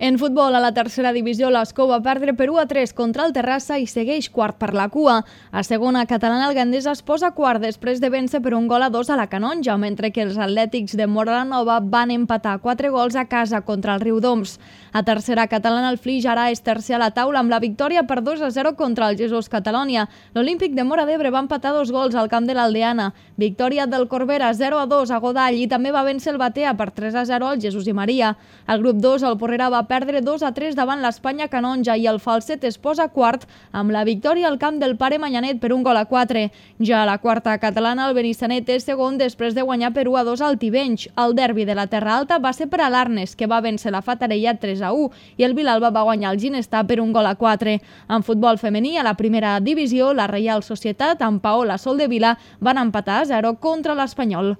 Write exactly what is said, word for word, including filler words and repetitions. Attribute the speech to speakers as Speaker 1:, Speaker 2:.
Speaker 1: En futbol, a la tercera divisió, l'Escó va perdre per u a tres contra el Terrassa i segueix quart per la cua. A segona catalana, el Gandesa es posa quart després de vèncer per un gol a dos a la Canonja, mentre que els atlètics de Móra la Nova van empatar quatre gols a casa contra el Riudoms. A tercera catalana, el Flix ara és tercer a la taula amb la victòria per dos a zero contra el Jesús Catalònia. L'Olímpic de Móra d'Ebre va empatar dos gols al camp de l'Aldeana. Victòria del Corbera zero a dos a Godall i també va vèncer el Batea per tres a zero al Jesús i Maria. Al grup dos, el Porrera va perdre dos a tres davant l'Espanya Canonja i el Falset es posa quart amb la victòria al camp del Pare Manyanet per un gol a quatre. Ja a la quarta catalana, el Benissanet és segon després de guanyar per u a dos al Tivenys. El derbi de la Terra Alta va ser per a l'Arnes, que va vèncer la Fatarella tres a u, i el Vilalba va guanyar el Ginestar per un gol a quatre. En futbol femení, a la primera divisió, la Reial Societat amb Paola Soldevila van empatar a zero contra l'Espanyol.